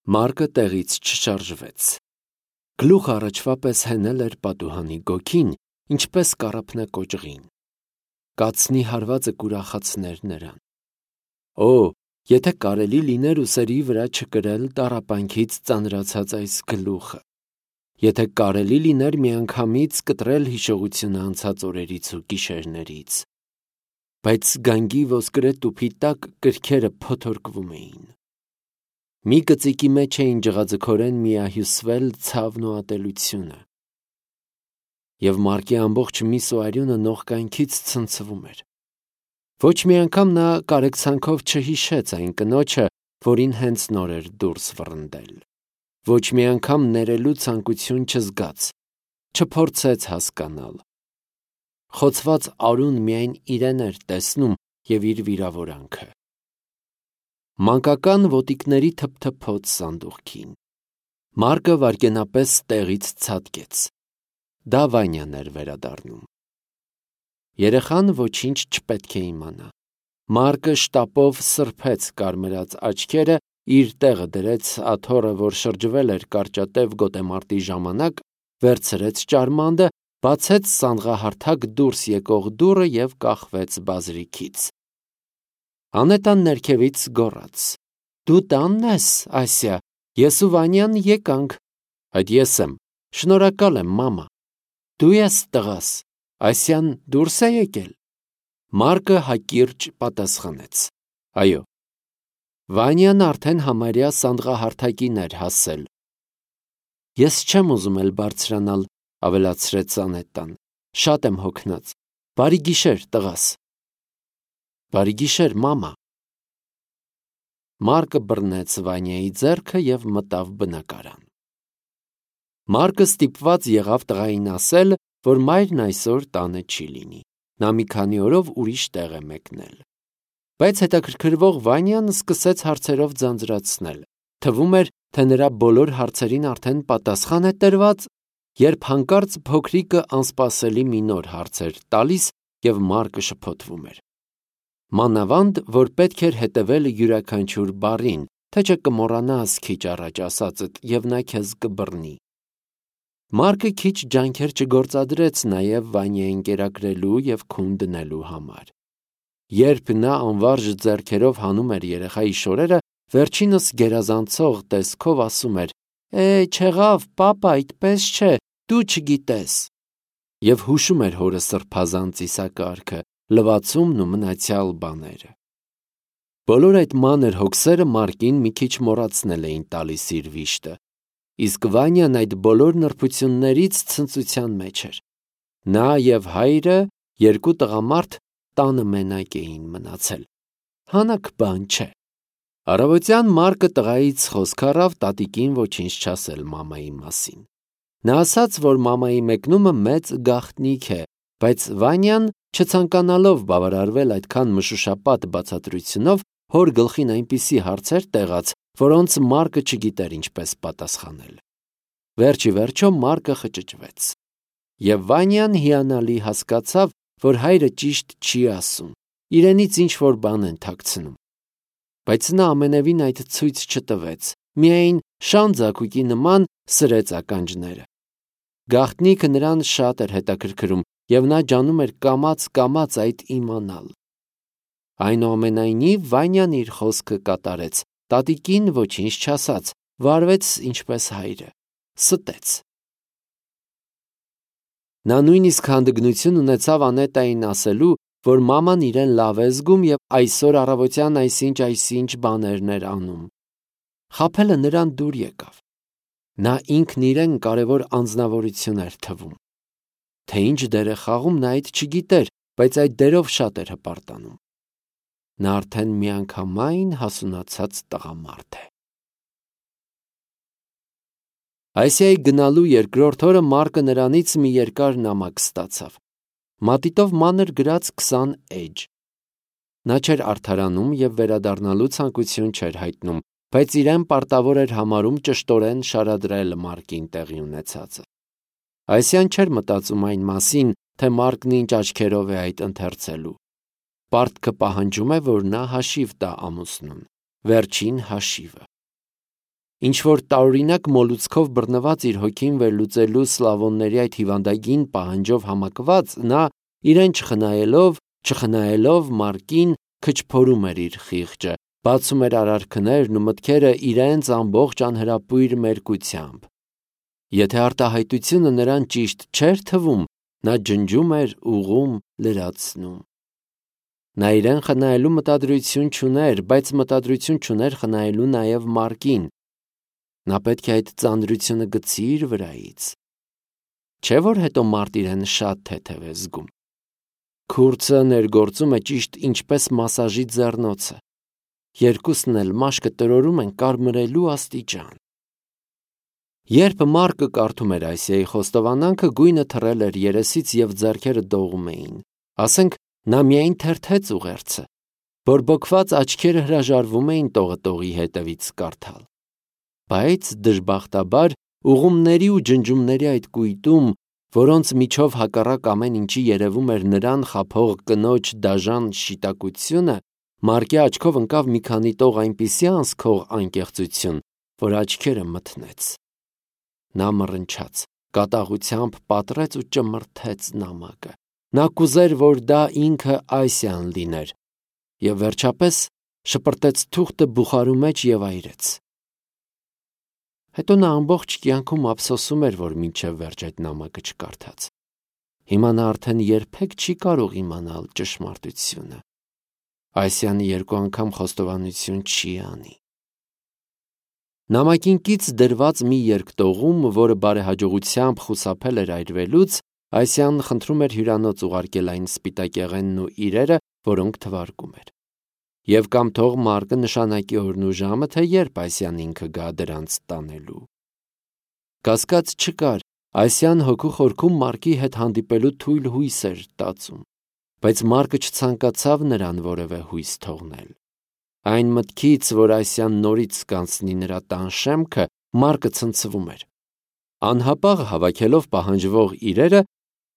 Մարկը տեղից չշարժվեց։ Գլուխը առաջվա պես հենել էր պատուհանի գոգին, ինչպես կառափնե կոճղին։ Կացնի հարվածը կուրախացներ նրան։ Օ, եթե կարելի լիներ ուսերի վրա չկրել տառապանքից ծանրացած այս գլուխը, եթե կարելի լիներ միանգամից կտրել հիշողությունը անցած օրերից ու գիշերներից, բայց գանգի ոսկրե տուփի տակ կրքերը փոթորկվում էին։ Մի կծիկի մեջ էին ջղաձգորեն միահյուսվել ցավն ու ատելությունը։ Եվ Մարկի ամբողջ միս ու արյունը նողկանքից ցնցվում էր։ Ոչ մի անգամ նա կարեկցանքով չհիշեց այն կնոջը, որին հենց նոր էր դուրս վռնդել։ Ոչ մի անգամ ներելու ցանկություն չզգաց, չփորձեց հասկանալ։ Խոցված արուն միայն իրեն էր տեսնում և իր վիրավորանքը։ Մանկական ոտիկների թփթփոց սանդուղքին։ Մարկը վայրկենապես տեղից ցատկեց։ Դա Վանյան էր վերադառնում։ Երեխան ոչինչ չպետք է իմանա։ Մարկը շտապով սրբեց կարմրած աչքերը, իր տեղը դրեց աթոռը, որ շրջվել էր կարճատև գոտեմարտի ժամանակ, վերցրեց ճարմանդը, բացեց սանդղահարթակ դուրս եկող դուռը և կախվեց բազրիքից։ Անետան ներքևից գոռաց. «Դու տանն ես, Ասիա, ես ու Վանյան եկանք»։ Այդ ես եմ, շնորհակալ եմ, մամա։ Դու ես տղաս, Ասիան դուրս է եկել։ Մարկը հակիրճ պատասխանեց. Այո։ Վանյան արդեն համարյա սանդղահարթակին էր հասել։ Ես չեմ ուզում էլ բարձրանալ, ավելացրեց Անետան, շատ եմ հոգնած։ Բարի գիշեր, տղաս։ Բարի գիշեր, մամա։ Մարկը բռնեց Վանյայի ձեռքը և մտավ բնակարան։ Մարկը ստիպված եղավ տղային ասել, որ մայրն այսօր տանը չի լինի։ Նա մի քանի օրով ուրիշ տեղ է մեկնել։ Բայց հետաքրքրվող Վանյան սկսեց հարցերով ձանձրացնել։ Թվում էր, թե նրա բոլոր հարցերին արդեն պատասխան է տրված, երբ հանկարծ փոքրիկը անսպասելի մի նոր հարց էր տալիս և Մարկը շփոթվում էր։ Մանավանդ, որ պետք էր հետևել յուրաքանչյուր բառին, թե չէ կմոռանաս քիչ առաջ ասածդ և նա քեզ կբռնի։ Մարկը քիչ ջանքեր չգործադրեց նաև Վանյային կերակրելու և քուն դնելու համար։ Երբ նա անվարժ ձեռքերով հանում էր երեխայի շորերը, վերջինս գերազանցող տեսքով ասում էր. չեղավ, պապա, այդպես չէ, դու չգիտես։ Եվ հուշում էր հորը սրբազան ծիսակարգը, լվացումն ու մնացյալ բաները։ Բոլոր այդ մանր հոգսերը Մարկին մի քիչ մոռացնել էին տալիս իր վիշտը, իսկ Վանյան այդ բոլոր նրբություններից ցնծության մեջ էր։ Նա և հայրը, երկու տղամարդ, տանը մենակ էին մնացել։ Հանաք բան չէ։ Առավոտյան Մարկը տղայից խոսք առավ տատիկին ոչինչ չասել մամայի մասին։ Նա ասաց, որ մամայի մեկնումը մեծ գաղտնիք է, բայց Վանյան, չցանկանալով բավարարվել այդքան մշուշապատ բացատրությունով, հոր գլխին այնպիսի հարցեր տեղաց, որոնց Մարկը չգիտեր ինչպես պատասխանել։ Վերջ ի վերջո Մարկը խճճվեց։ Եվ Վանյան հիանալի հասկացավ, որ հայրը ճիշտ չի ասում, իրենից ինչ-որ բան են թաքցնում։ Բայց նա ամենևին այդ ցույց չտվեց, միայն շան ձագուկի նման սրեց ականջները։ Գաղտնիքը նրան շատ էր հետաքրքրում, և նա ջանում էր կամաց այդ իմանալ։ Այնուամենայնիվ Վանյան իր խոսքը կատարեց, տատիկին ոչինչ չասաց, վարվեց ինչպես հայրը, ստեց։ Նա նույնիսկ հանդգնություն ունեցավ Անետային ասելու, որ մաման իրեն լավ է զգում և այսօր առավոտյան այսինչ բաներն էր անում։ Խաբելը նրան դուր եկավ։ Նա ինքն իրեն կարևոր անձնավորություն էր թվում։ Թե ինչ դեր է խաղում, նա այդ չգիտեր, բայց այդ դերով շատ էր հպարտանում։ Նա արդեն միանգամայն հասունացած տղամարդ է։ Ասիայի գնալու երկրորդ օրը Մարկը նրանից մի երկար նամակ ստացավ։ Մատիտով մանր գրած 20 էջ։ Նա չէր արդարանում և վերադառնալու ցանկություն չէր հայտնում, բայց իրեն պարտավոր էր համարում ճշտորեն շարադրել Մարկին տեղի ունեցածը։ Ասիան չէր մտածում այն մասին, թե Մարկն ինչ աչքերով է այդ ընթերցելու։ Պարտքը պահանջում է, որ նա հաշիվ տա ամուսնուն, վերջին հաշիվը։ ինչ-որ տարօրինակ մոլուցքով բռնված իր հոգին վերլուծելու սլավոնների այդ հիվանդագին պահանջով համակված, նա իրեն չխնայելով Մարկին քչփորում էր իր խիղճը, բացում էր արարքներն ու մտքերը իրենց ամբողջ անհրապույր մերկությամբ։ Եթե արտահայտությունը նրան ճիշտ չէր թվում, նա ջնջում էր, ուղղում, լրացնում։ Նա իրեն խնայելու մտադրություն չուներ, բայց մտադրություն չուներ խնայելու նաև Մարկին։ Նա պետք է այդ ծանրությունը գցի իր վրայից։ Չէ՞ որ հետո մարդ իրեն շատ թեթև է զգում։ Քուրձը ներգործում է ճիշտ ինչպես մասաժի ձեռնոցը։ Երկուսն էլ մաշկը տրորում են կարմրելու աստիճան։ Երբ Մարկը կարդում էր Ասիայի խոստովանանքը, գույնը թռել էր երեսից և ձեռքերը դողում էին։ Ասենք, նա միայն թերթեց ուղերձը։ Բորբոքված աչքերը հրաժարվում էին տողը հետևից կարդալ։ Բայց դժբախտաբար ուղումների ու ջնջումների այդ կույտում, որոնց միջով հակառակ ամեն ինչի երևում էր նրան խաբող կնոջ դաժան շիտակությունը, Մարկի աչքով ընկավ մի քանի տող այնպիսի անսքող անկեղծություն, որ աչքերը մթնեց։ Նա մռնչաց, կատաղությամբ պատռեց ու ճմրթեց նամակը։ Նա կուզեր, որ դա ինքը Ասիան լիներ, և վերջապես շպրտեց թուղթը բուխարու մեջ և այրեց։ Հետո նա ամբողջ կյանքում ափսոսում էր, որ մինչև վերջ այդ նամակը չկարդաց։ Հիմա նա արդեն երբեք չի կարող իմանալ ճշմարտությունը։ Ասիանը երկու անգամ խոստովանություն չի անի։ Նամակին կից դրված մի երկտողում, որը բարեհաջողությամբ խուսափել էր այրվելուց, Ասիան խնդրում էր հյուրանոց ուղարկել այն սպիտակեղենն ու իրերը, որոնք թվարկում էր։ Եվ կամ թող Մարկը նշանակի օրն ու ժամը, թե երբ Ասիան ինքը գա դրանց տանելու։ Կասկած չկար, Ասիան հոգու խորքում Մարկի հետ հանդիպելու թույլ հույս էր տածում, բայց Մարկը չցանկացավ նրան որևէ հույս թողնել։ Այն մտքից, որ Ասիան նորից կանցնի նրա տան շեմքը, Մարկը ցնցվում էր։ Անհապաղ հավաքելով պահանջվող իրերը,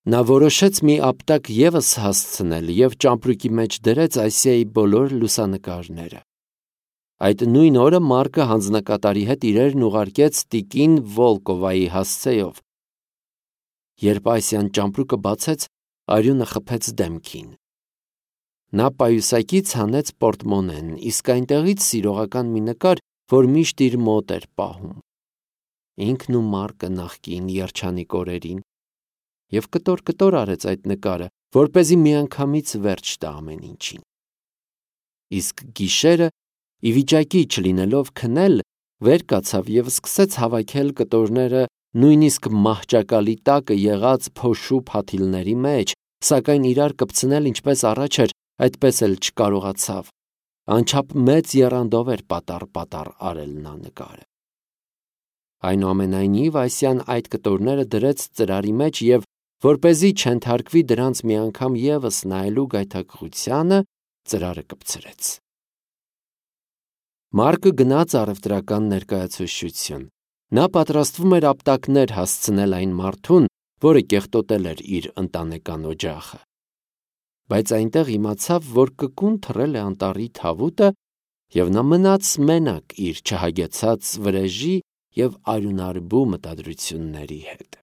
նա որոշեց մի ապտակ ևս հասցնել և ճամպրուկի մեջ դրեց Ասիայի բոլոր լուսանկարները։ Այդ նույն օրը Մարկը հանձնակատարի հետ իրերն ուղարկեց տիկին Վոլկովայի հասցեով։ Երբ Ասիան ճամպրուկը բացեց, արյունը խփեց դեմքին։ Նա պայուսակից հանեց պորտմոնեն, իսկ այնտեղից սիրողական մի նկար, որ միշտ իր մոտ էր պահում։ Ինքն ու Մարկը նախկին երջանիկ օրերին, և կտոր արեց այդ նկարը, որպեսզի միանգամից վերջ տա ամեն ինչին։ Իսկ գիշերը, ի վիճակի չլինելով քնել, վեր կացավ և սկսեց հավաքել կտորները նույնիսկ մահճակալի տակը եղած փոշու փաթիլների մեջ, սակայն իրար կպցնել ինչպես առաջ էր, այդպես էլ չկարողացավ։ Անչափ մեծ եռանդով էր պատառ արել նա նկարը։ Այնուամենայնիվ Ասիան այդ կտորները դրեց ծրարի մեջ և, որպեսզի չենթարկվի դրանց մի անգամ ևս նայելու գայթակղությանը, ծրարը կպցրեց։ Մարկը գնաց առևտրական ներկայացուցչություն։ Նա պատրաստվում էր ապտակներ հասցնել այն մարդուն, որը կեղտոտել էր իր ընտանեկան օջախը։ Բայց այնտեղ իմացավ, որ կկուն թռել է անտառի թավուտը, և նա մնաց մենակ իր չհագեցած վրեժի և արյունարբու մտադրությունների հետ։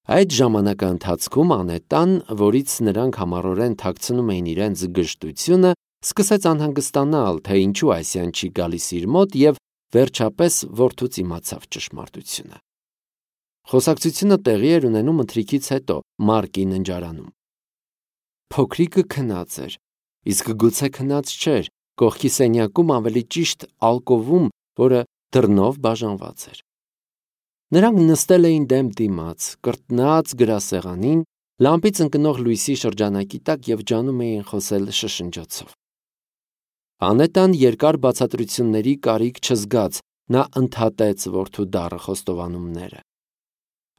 Այդ ժամանակաընթացքում Անետան, որից նրանք համառորեն թաքցնում էին իրենց գժտությունը, սկսեց անհանգստանալ, թե ինչու Ասիան չի գալիս իր մոտ և վերջապես որդուց իմացավ ճշմարտությունը։ Խոսակցությունը տեղի էր ունենում ընթրիքից հետո Մարկի ննջարանում։ Փոքրիկը քնած էր, իսկ գուցե քնած չէր, կողքի սենյակում, ավելի ճիշտ ալկովում, որը դռնով բաժանված էր։ Նրանք նստել էին դեմ դիմաց, կրտնած գրասեղանին, լամպից ընկնող լույսի շրջանակի տակ և ջանում էին խոսել շշնջոցով։ Անետան երկար բացատրությունների կարիք չզգաց, նա ընդհատեց որդու դառը խոստովանումները։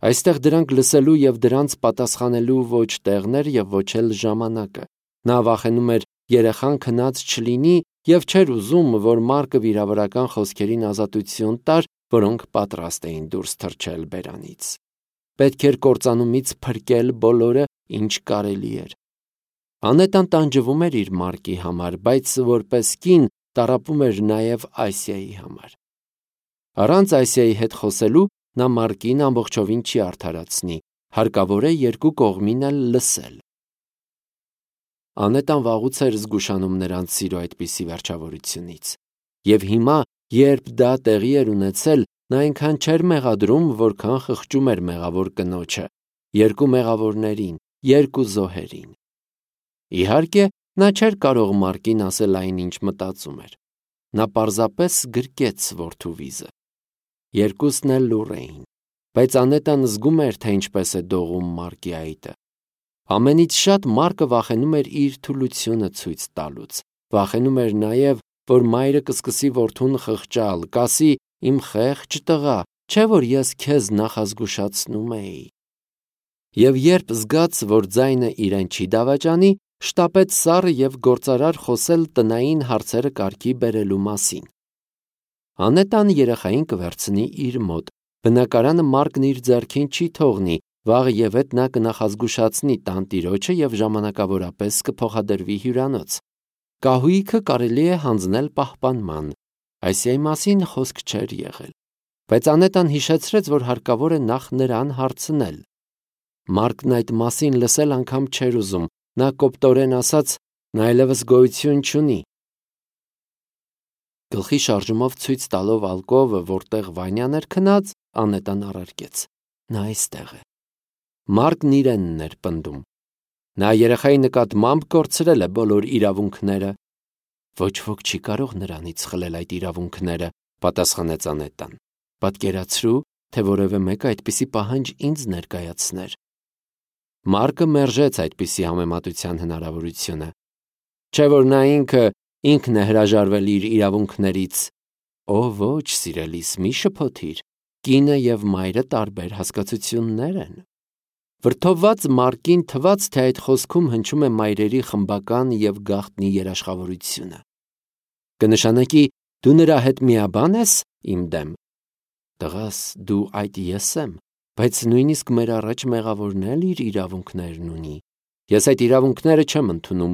Այստեղ դրանք լսելու և դրանց պատասխանելու ոչ տեղն էր և ոչ էլ ժամանակը։ Նա վախենում էր երեխան քնած չլինի և չէր ուզում, որ Մարկը վիրավորական խոսքերին ազատություն տար, որոնք պատրաստ էին դուրս թռչել բերանից։ Պետք էր կործանումից փրկել բոլորը, ինչ կարելի էր։ Անետան տանջվում էր իր Մարկի համար, բայց որպես կին տառապում էր նաև Ասիայի համար։ Առանց Այսիայի հետ խոսելու նա Մարկին ամբողջովին չի արդարացնի, հարկավոր է երկու կողմին էլ լսել։ Անետան վաղուց էր զգուշանում նրանց սիրո այդպիսի վերջավորությունից։ Եվ հիմա, երբ դա տեղի էր ունեցել, նա այնքան չէր մեղադրում, որքան խղճում էր մեղավոր կնոջը, երկու մեղավորներին, երկու զոհերին։ Իհարկե, նա չէր կարող Մարկին ասել այն, ինչ մտածում էր։ Նա պարզապես գրկեց որդու վիզը։ Երկուսն էլ լուռ էին, բայց Անետան զգում էր, թե ինչպես է դողում Մարկի այտը։ Ամենից շատ Մարկը վախենում էր իր թուլությունը ցույց տալուց, վախենում էր նաև, որ մայրը կսկսի որդուն խղճալ, կասի. «Իմ խեղճ տղա, չէ՞ որ ես քեզ նախազգուշացնում էի»։ Եվ երբ զգաց, որ ձայնը իրեն չի դավաճանի, շտապեց սառը և գործարար խոսել տնային հարցերը կարգի բերելու մասին։ Անետան երեխային կվերցնի իր մոտ, բնակարանը Մարկն իր ձեռքին չի թողնի, վաղ և հետ նա կնախազգուշացնի տանտիրոջը և ժամանակավորապես կփոխադրվի հյուրանոց։ Կահույքը կարելի է հանձնել պահպանման։ Այսիայի մասին խոսք չէր եղել, բայց Անետան հիշեցրեց, որ հարկավոր է նախ նրան հարցնել։ Մարկն այդ մասին լսել անգամ չէր ուզում, նա կոպտորեն ասաց. նա այլևս գոյություն չունի։ Գլխի շարժումով ցույց տալով ալկովը, որտեղ Վանյան էր քնած, Անետան առարկեց. նա այստեղ է։ Մարկն իրենն էր պնդում։ Նա երեխայի նկատմամբ կորցրել է բոլոր իրավունքները։ Ոչ ոք չի կարող նրանից խլել այդ իրավունքները, պատասխանեց Անետան։ Պատկերացրու, թե որևէ մեկը այդպիսի պահանջ ինձ ներկայացներ։ Մարկը մերժեց այդպիսի համեմատության հնարավորությունը։ Չէ՞ որ նա ինքն է հրաժարվել իր իրավունքներից։ Օ ոչ, սիրելիս, մի շփոթիր։ Կինը և մայրը տարբեր հասկացություններ են։ Վրդովված Մարկին թվաց, թե այդ խոսքում հնչում է մայրերի խմբական և գաղտնի երաշխավորությունը։ Կնշանակի, դու նրա հետ միաբան ես իմ դեմ։ Տղաս, դու այդ ես եմ, բայց նույնիսկ մեր առաջ մեղավորն էլ իր իրավունքներն ունի։ Ես այդ իրավունքները չեմ ընդունում։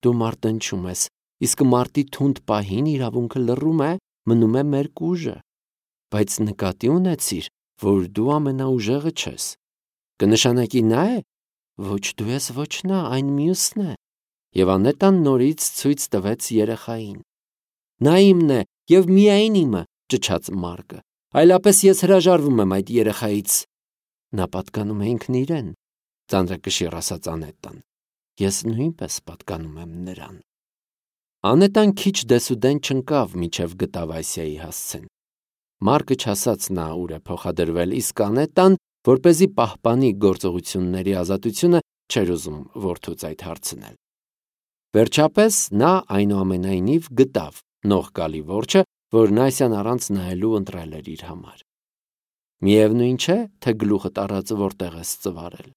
Դու մարտնչում ես, իսկ մարտի թունդ պահին իրավունքը լռում է, մնում է մերկ ուժը։ Բայց նկատի ունեցիր, որ դու ամենաուժեղը չես։ Կնշանակի նա է։ Ոչ դու ես, ոչ նա, այն մյուսն է։ Եվ Անետան նորից ցույց տվեց երեխային։ Նա իմն է և միայն իմը, ճչաց Մարկը, այլապես ես հրաժարվում եմ այդ երեխայից։ Նա պատկանում է ինքն իրեն, ծանրակշիռ ասաց Անետան։ Ես նույնպես պատկանում եմ նրան։ Անետան քիչ դեսուդեն չընկավ, մինչև գտավ Այսիայի հասցեն։ Մարկը չասաց նա ուր է փոխադրվել, իսկ Անետան, որպեսզի պահպանի գործողությունների ազատությունը, չէր ուզում որդուց այդ հարցնել։ Վերջապես նա այնուամենայնիվ գտավ նող գալի որջը, որն Այսիան առանց նայելու ընտրել էր իր համար։ Միևնույն չէ, թե գլուխդ առած որտեղ ես ծվարել։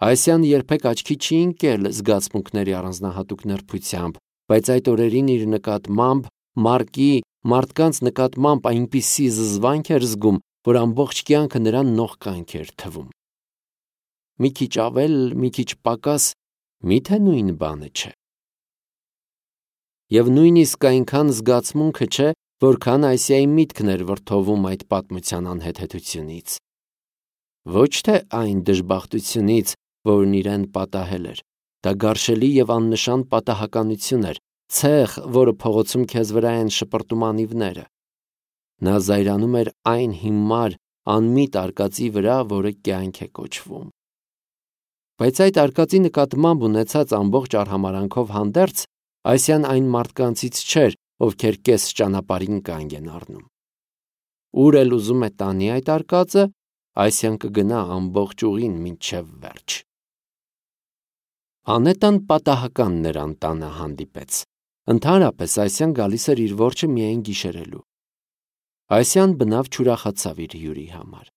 Այսիան երբեք աչքի չի ընկել զգացմունքների առանձնահատուկ նրբությամբ, բայց այդ օրերին իր նկատմամբ Մարկի մարդկանց նկատմամբ այնպիսի զզվանք էր զգում, որ ամբողջ կյանքը նրան նողկանք էր թվում։ Մի քիչ ավել, մի քիչ պակաս, միթե նույն բանը չէ։ Եվ նույնիսկ այնքան զգացմունքը չէ, որքան Այսիայի միտքն էր վրդովում այդ պատմության անհեթեթությունից։ Ոչ թե այն դժբախտությունից, որն իրեն պատահել էր, դա գարշելի և աննշան պատահականություն էր, ցեխ, որը փողոցում քեզ վրա են շպրտում անիվները։ Նա զայրանում էր այն հիմար, անմիտ արկածի վրա, որը կյանք է կոչվում։ Բայց այդ արկածի նկատմամբ ունեցած ամբողջ արհամարանքով հանդերձ, Այսիան այն մարդկանցից չէր, ովքեր կես ճանապարհին կանգ են առնում։ Ուր էլ ուզում է տանի այդ արկածը, Այսիան կգնա ամբողջ ուղին մինչև վերջ։ Անետան պատահական նրան տանը հանդիպեց։ Ընդհանրապես Այսիան գալիս էր իր որջը միայն գիշերելու։ Այսիան բնավ չուրախացավ իր հյուրի համար։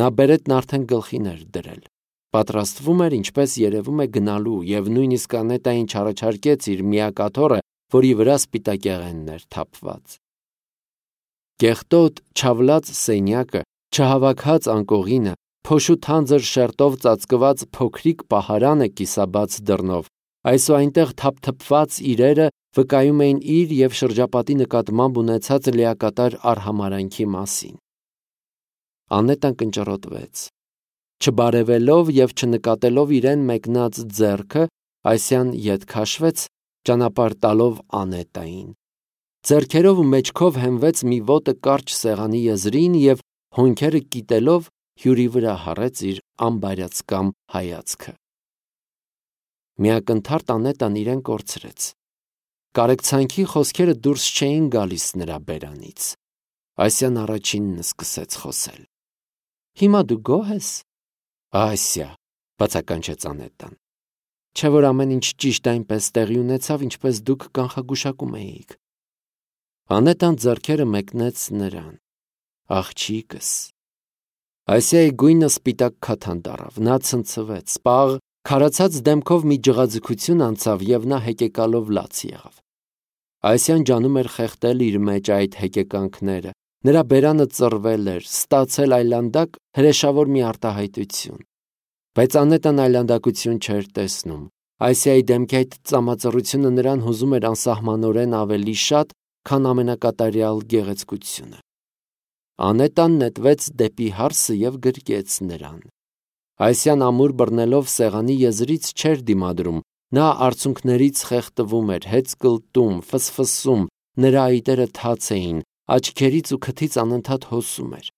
Նա բերետն արդեն գլխին էր դրել։ Պատրաստվում էր, ինչպես երևում է, գնալու, և նույնիսկ Անետային չառաջարկեց իր միակ աթոռը, որի վրա սպիտակեղենն էր թափված։ Կեղտոտ, չավլած սենյակը, չհավաքած անկողինը, փոշու թանձր շերտով ծածկված փոքրիկ պահարանը կիսաբաց դռնով, Այսուհետև թափթփված իրերը վկայում էին իր և շրջապատի նկատմամբ ունեցած լիակատար արհամարհանքի մասին։ Անետան կնճռոտվեց։ Չբարևելով և չնկատելով իրեն մեկնած ձեռքը, Այսիան ետ քաշվեց, ճանապարհ տալով Անետային։ Ձեռքերով ու մեջքով հենվեց մի ոտը կարճ սեղանի եզրին և հոնքերը կիտելով հյուրի վրա հառեց իր անբարյացկամ հայացքը։ Միակնթարթ Անետան իրեն կորցրեց։ Կարեկցանքի խոսքերը դուրս չէին գալիս նրա բերանից։ Այսիան առաջինն սկսեց խոսել։ Հիմա դու գոհ ես։ Ասիա, բացականչեց Անետան։ Չէ՞ որ ամեն ինչ ճիշտ այնպես տեղի ունեցավ, ինչպես դուք կանխագուշակում էիք։ Անետան ձեռքերը մեկնեց նրան։ Աղջիկս։ Ասիայի գույնը սպիտակ քաթան դառավ, նա ցնցվեց, պաղ քարացած դեմքով մի ջղաձգություն անցավ և նա հեկեկալով լաց եղավ։ Այսիան ջանում էր խեղդել իր մեջ այդ հեկեկանքները, նրա բերանը ծռվել էր, ստացել այլանդակ հրեշավոր մի արտահայտություն։ Բայց Անետան այլանդակություն չէր տեսնում։ Այսիայի դեմքի այդ ծամածռությունը նրան հուզում էր անսահմանորեն ավելի շատ, քան ամենակատարյալ գեղեցկությունը։ Անետան նետվեց դեպի հարսը և գրկեց նրան։ Այսիան ամուր բռնելով սեղանի եզրից չէր դիմադրում, նա արցունքներից խեղդվում էր, հեծկլտում, ֆսֆսում, նրա այտերը թաց էին, աչքերից ու քթից անընդհատ հոսում էր։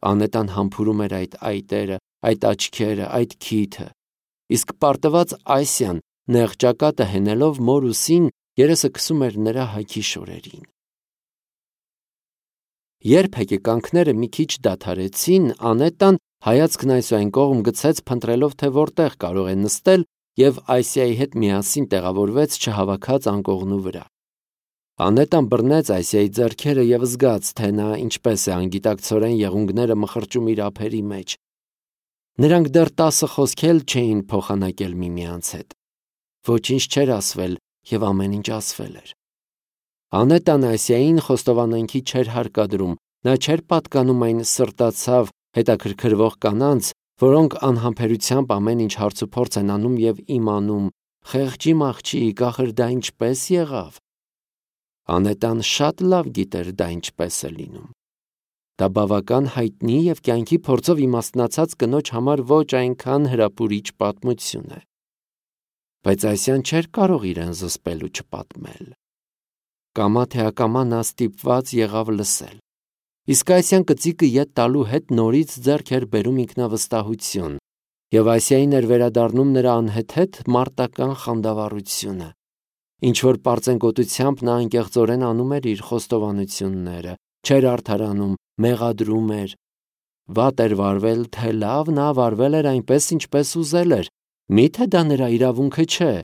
Անետան համբուրում էր այդ այտերը, այդ աչքերը, այդ քիթը, իսկ պարտված Ասիան նեղ ճակատը հենելով մոր ուսին երեսը քսում էր նրա հագի շորերին։ Երբ հեկեկանքները մի քիչ դադարեցին, Անետան հայացքն այսուայն կողմ գցեց, փնտրելով, թե որտեղ կարող է նստել, և Ասիայի հետ միասին տեղավորվեց չհավաքած անկողնու վրա։ Անետան բռնեց Ասիայի ձեռքերը և զգաց, թե նա ինչպես է անգիտակցորեն եղունգները մխրճում իր ափերի մեջ։ Նրանք դեռ 10 խոսք էլ չէին փոխանակել միմյանց հետ։ Ոչինչ չէր ասվել, և ամեն ինչ ասվել էր։ Անետան Ասիային խոստովանանքի չէր հարկադրում, նա չէր պատկանում այն սրտացավ հետաքրքրվող կանանց, որոնք անհամբերությամբ ամեն ինչ հարցուփորձ են անում և իմանում, խեղճի աղջիկ, ախր դա ինչպես եղավ։ Անետան շատ լավ գիտեր դա ինչպես է լինում։ Դա բավական հայտնի և կյանքի փորձով իմաստնացած կնոջ համար ոչ այնքան հրապուրիչ պատմություն է։ Բայց Ասիան չէր կարող իրեն զսպել ու չպատմել։ Կամա թե ակամա նա ստիպված եղավ լսել։ Իսկ Ասիան կծիկը ետ տալու հետ նորից ձեռք էր բերում ինքնավստահություն, և Ասիային էր վերադառնում նրա անհեթեթ մարտական խանդավառությունը։ Ինչ-որ պարծենկոտությամբ նա անկեղծորեն անում էր իր խոստովանությունները, չէր արդարանում, մեղադրում էր։ Վատ էր վարվել, թե լավ, նա վարվել էր այնպես, ինչպես ուզել էր։ Մի՞թե դա նրա իրավունքը չէ։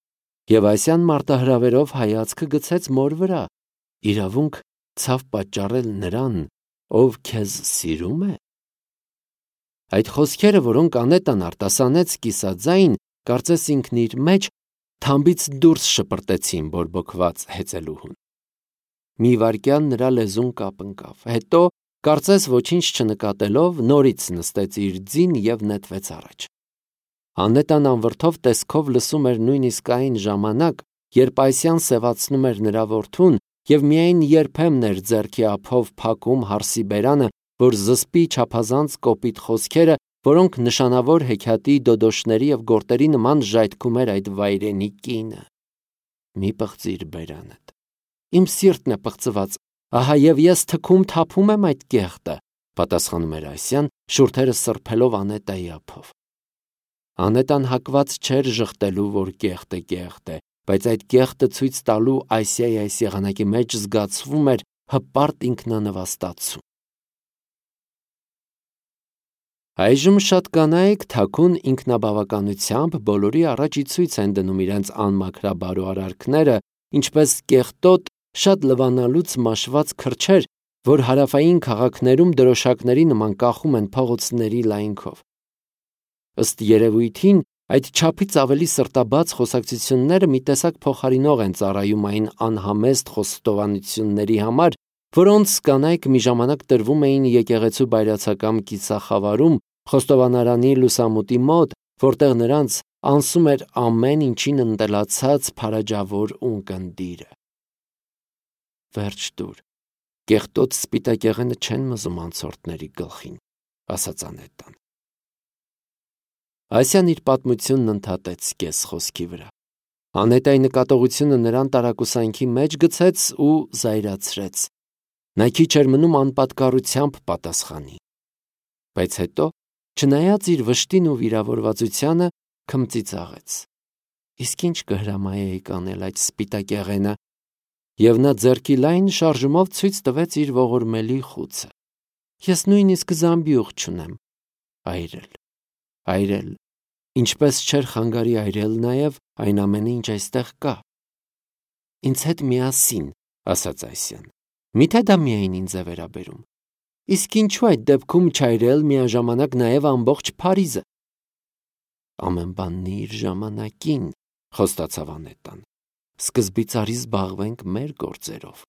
Եվ Ասիան մարտահրավերով հայացքը գցեց մոր վրա։ Իրավունք ցավ պատճառել նրան, ով քեզ սիրում է։ Այդ խոսքերը, որոնք Անետան արտասանեց կիսաձայն, կարծես ինքն իր մեջ թամբից դուրս շպրտեցին բորբոքված հեծելուհուն։ Մի վայրկյան նրա լեզուն կապընկավ, հետո, կարծես ոչինչ չնկատելով, նորից նստեց իր ձին և նետվեց առաջ։ Անետան անվրդով տեսքով լսում էր նույնիսկ այն ժամանակ, երբ Ասիան սևացնում էր նրա որդուն և միայն երբեմն էր ձեռքի ափով փակում հարսի բերանը, որ զսպի չափազանց կոպիտ խոսքերը, որոնք նշանավոր հեքիաթի դոդոշների և գորտերի նման ժայթքում էր այդ վայրենի կինը։ Մի պղծիր բերանդ։ Իմ սիրտն է պղծված, ահա և ես թքում թափում եմ այդ կեղտը, պատասխանում էր Ասիան, շուրթերը սրբելով Անետայի ափով։ Անետան հակված չէր ժխտելու, որ կեղտ է, բայց այդ կեղտը ցույց տալու Ասիայի այս եղանակի մեջ զգացվում էր հպարտ ինքնանվաստացում։ Այժմ շատ կանայք թաքուն ինքնաբավականությամբ բոլորի առաջ ի ցույց են դնում իրենց անմաքրաբարո արարքները, ինչպես կեղտոտ, շատ լվանալուց մաշված քրչեր, որ հարավային քաղաքներում դրոշակների նման կախում են փողոցների լայնքով։ Ըստ երևույթին, այդ չափից ավելի սրտաբաց խոսակցությունները մի տեսակ փոխարինող են ծառայում այն անհամեստ խոստովանությունների համար, որոնց կանայք մի ժամանակ տրվում էին եկեղեցու բայրացակամ կիսախավարում, խոստովանարանի լուսամուտի մոտ, որտեղ նրանց անսում էր ամեն ինչին ընտելացած փարաջավոր ունկնդիրը։ Վերջ տուր, կեղտոտ սպիտակեղենը չեն մզում անցորդների գլխին, ասաց Անետան։ Ասյան իր պատմությունն ընդհատեց կես խոսքի վրա։ Անետայի նկատողությունը նրան տարակուսանքի մեջ գցեց ու զայրացրեց։ Նա քիչ էր մնում անպատկառությամբ պատասխանի։ Բայց հետո, չնայած իր վշտին ու վիրավորվածությանը, քմծիծաղեց։ Իսկ ինչ կհրամայեի կանել այդ սպիտակեղենը, և նա ձեռքի լայն շարժումով ցույց տվեց իր ողորմելի խուցը։ Ես նույնիսկ զամբյուղ չունեմ։ Այրել, ինչպես չէր խանգարի այրել նաև այն ամենը, ինչ այստեղ կա։ Ինձ հետ միասին, ասաց Այսյան։ Միթե դա միայն ինձ է վերաբերում։ Իսկ ինչու այդ դեպքում չայրել միաժամանակ նաև ամբողջ Փարիզը։ Ամեն բանն իր ժամանակին, խոստացավ Անետան։ Սկզբից արի զբաղվենք մեր գործերով։